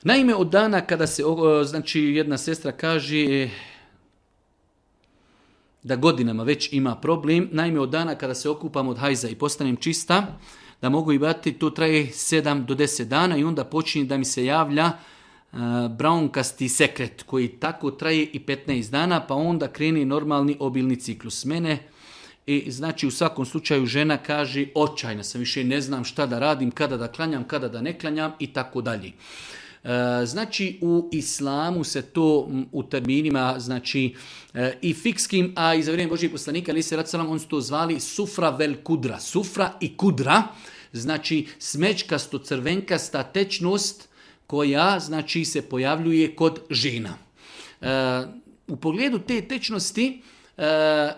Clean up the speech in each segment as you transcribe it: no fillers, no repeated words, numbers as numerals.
Naime, od dana kada se, znači jedna sestra kaže da godinama već ima problem, naime od dana kada se okupam od hajza i postanem čista, da mogu i bati, to traje 7 do 10 dana i onda počinje da mi se javlja braunkasti sekret koji tako traje i 15 dana, pa onda krene normalni obilni ciklus. Mene i znači u svakom slučaju žena kaže očajna sam, više ne znam šta da radim, kada da klanjam, kada da ne klanjam i tako dalje. Znači u islamu se to u terminima znači i fikskim, a i za vrijeme Božijeg poslanika ali se radsalam on su to zvali sufra vel kudra, sufra i kudra, znači smećkasto crvenkasta tečnost koja znači se pojavljuje kod žena. U pogledu te tečnosti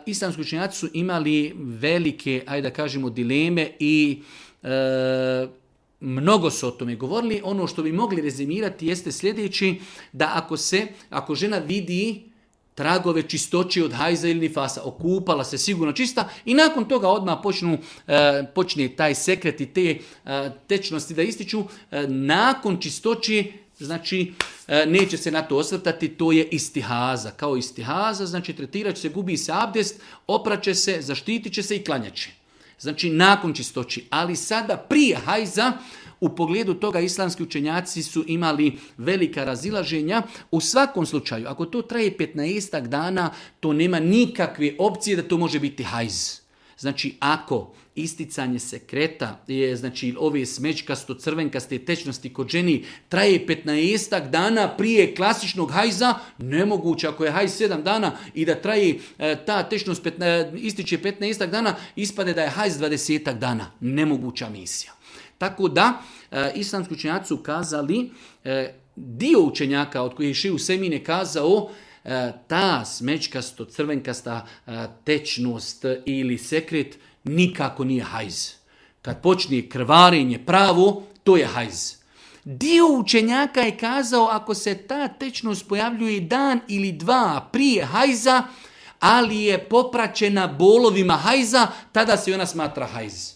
islamski učenjaci su imali velike, ajde da kažemo, dileme i mnogo su o tome govorili. Ono što bi mogli rezimirati jeste sljedeći, da ako žena vidi tragove čistoće od hajza ili nifasa, okupala se sigurno čista i nakon toga odmah počne taj sekret i te tečnosti da ističu, nakon čistoće, znači neće se na to osvrtati, to je istihaza. Kao istihaza, znači tretirat će se, gubi se abdest, opraće se, zaštitit će se i klanjaće. Znači nakon čistoći. Ali sada prije hajza, u pogledu toga islamski učenjaci su imali velika razilaženja. U svakom slučaju, ako to traje 15 dana, to nema nikakve opcije da to može biti hajz. Znači ako isticanje sekreta je, znači ove smećkasto crvenkaste tečnosti kod ženi traje 15 dana prije klasičnog hajza, nemoguće ako je hajz 7 dana i da traje ta tečnost ističe 15 dana, ispade da je hajz 20 dana. Nemoguća misija. Tako da islamski učenjaci su kazali, dio učenjaka od kojih je Šejh Usejmin je kazao, ta smećkasto crvenkasta tečnost ili sekret nikako nije hajz. Kad počne krvarenje pravo, to je hajz. Dio učenjaka je kazao, ako se ta tečnost pojavljuje dan ili dva prije hajza, ali je popraćena bolovima hajza, tada se ona smatra hajz.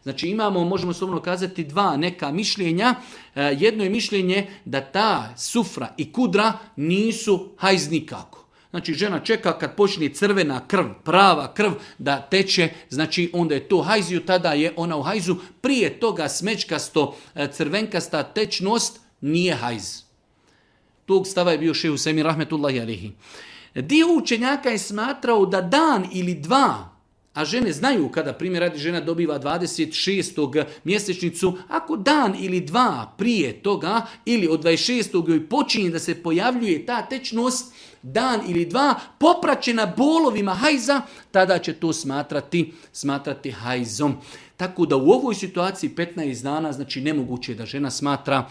Znači možemo slobodno kazati dva neka mišljenja. Jedno je mišljenje da ta sufra i kudra nisu hajz nikako. Znači žena čeka kad počne crvena krv, prava krv da teče, znači onda je to hajziju, tada je ona u hajzu. Prije toga smećkasto crvenkasta tečnost nije hajz. Tog stava je bio Šejh Usejmin rahmetullahi alejhi. Dio učenjaka je smatrao da dan ili dva, a žene znaju kada, primjer radi, žena dobiva 26. mjesečnicu, ako dan ili dva prije toga ili od 26. joj počinje da se pojavljuje ta tečnost, dan ili dva popraćena bolovima hajza, tada će to smatrati hajzom. Tako da u ovoj situaciji 15 dana, znači nemoguće je da žena smatra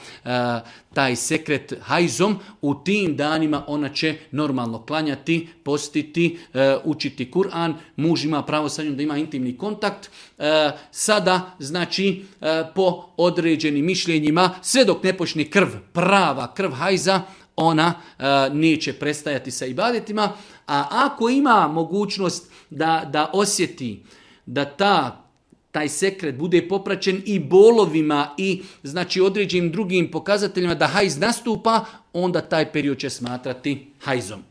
taj sekret hajzom. U tim danima ona će normalno klanjati, postiti, učiti Kur'an, muž ima pravo sa njom da ima intimni kontakt. Sada, znači, po određenim mišljenjima, sve dok ne počne prava krv hajza, ona neće prestajati sa ibadetima, a ako ima mogućnost da osjeti da taj sekret bude popraćen i bolovima i znači određenim drugim pokazateljima da hajz nastupa, onda taj period će smatrati hajzom.